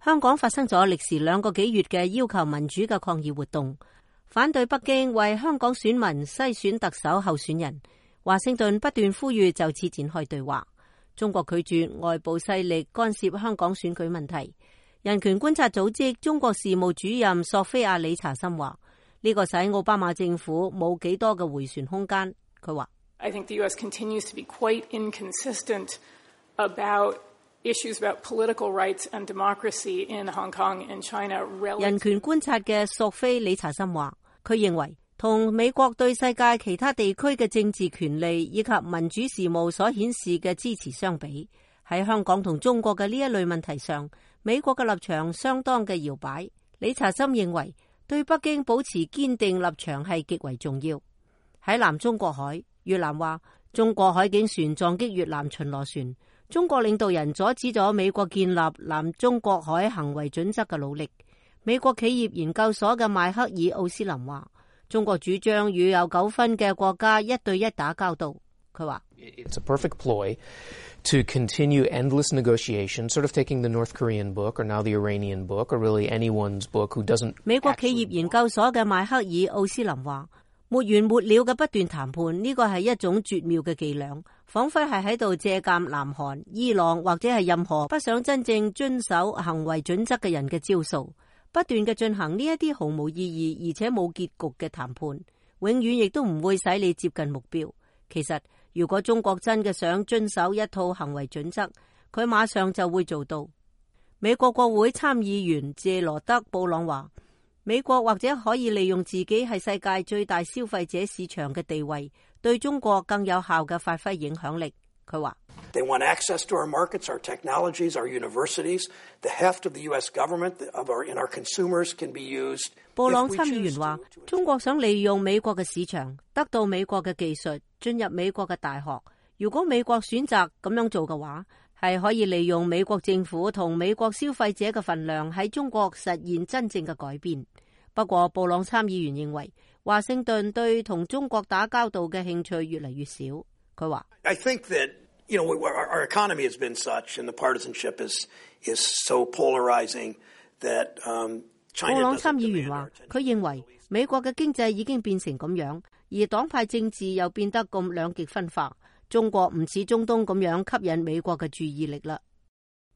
香港發生咗歷時2個幾月嘅要求民主嘅抗議活動，反對北京為香港選民篩選特首候選人。華盛頓不斷呼籲就此展開對話。中國拒絕外部勢力干涉香港選舉問題。人權觀察組織中國事務主任索菲亞理查森話：呢個使奧巴馬政府冇幾多嘅迴旋空間。佢話：I think the U.S. continues to be quite inconsistent about issues about political rights and democracy in Hong Kong and China. 人權觀察嘅索菲理查森話：佢認為同美國對世界其他地區嘅政治權利以及民主事務所顯示嘅支持相比，喺香港同中國嘅呢一類問題上，美國嘅立場相當嘅搖擺。理查森認為，對北京保持堅定立場係極為重要。喺南中國海，越南話中國海警船撞擊越南巡邏船，中國領導人阻止咗美國建立南中國海行為準則嘅努力。美國企業研究所嘅邁克爾奧斯林話：中國主張與有糾紛嘅國家1對1打交道。佢話：It's a perfect ploy to continue endless negotiation, sort of taking the North Korean book or now the Iranian book or really anyone's book who doesn't. 美國企業研究所嘅邁克爾奧斯林話：沒完沒了嘅不斷談判，呢個係一種絕妙嘅伎倆，彷彿係喺度借鑑南韓、伊朗或者係任何不想真正遵守行為準則嘅人嘅招數。不斷嘅進行呢一啲毫無意義而且冇結局嘅談判，永遠亦都唔會使你接近目標。其實如果中國真嘅想遵守一套行為準則，佢馬上就會做到。美國國會參議員謝羅德布朗話：美國或者可以利用自己係世界最大消費者市場嘅地位，對中國更有效嘅發揮影響力。佢話：They want access to our markets, our technologies, our universities. The heft of the U.S. government and our consumers can be used. 布朗參議員話：中國想利用美國嘅市場，得到美國嘅技術，進入美國嘅大學。如果美國選擇咁樣做嘅話，係可以利用美國政府同美國消費者嘅份量喺中國實現真正嘅改變。不過，布朗參議員認為華盛頓對同中國打交道嘅興趣越嚟越少。佢話：I think that our economy has been such, and the partisanship is so polarizing that China. 布朗參議員話：佢認為美國嘅經濟已經變成咁樣，而黨派政治又變得咁兩極分化。中國唔似中東咁樣吸引美國嘅注意力啦。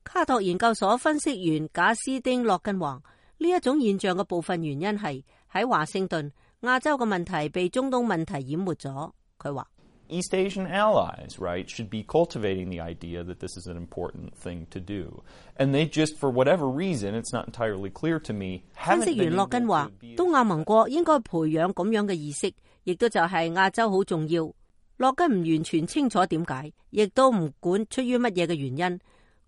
卡托研究所分析員賈斯丁洛根話：呢一種現象嘅部分原因係喺華盛頓，亞洲嘅問題被中東問題淹沒咗。佢話：East Asian allies, right, should be cultivating the idea that this is an important thing to do. And they just, for whatever reason, it's not entirely clear to me. 分析員洛根話：東亞盟國應該培養咁樣嘅意識，亦都就係亞洲好重要。洛根唔完全清楚點解，亦都唔管出於乜嘢嘅原因，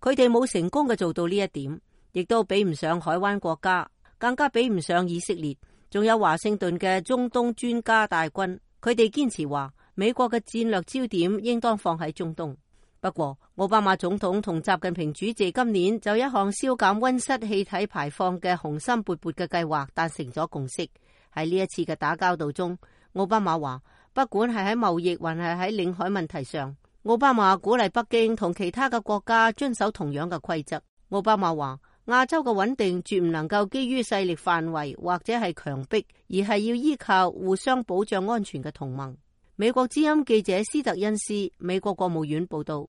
佢哋冇成功嘅做到呢一點，亦都比唔上海灣國家，更加比唔上以色列，仲有華盛頓嘅中東專家大軍。佢哋堅持話美國嘅戰略焦點應當放喺中東。不過，奧巴馬總統同習近平主席今年就一項消減溫室氣體排放嘅雄心勃勃嘅計劃達成咗共識。喺呢一次嘅打交道中，奧巴馬話，不管係喺貿易還係喺領海問題上，奧巴馬鼓勵北京同其他嘅國家遵守同樣嘅規則。奧巴馬話，亞洲嘅穩定絕唔能夠基於勢力範圍或者係強迫，而係要依靠互相保障安全嘅同盟。美國之音記者斯特恩斯，美國國務院報道。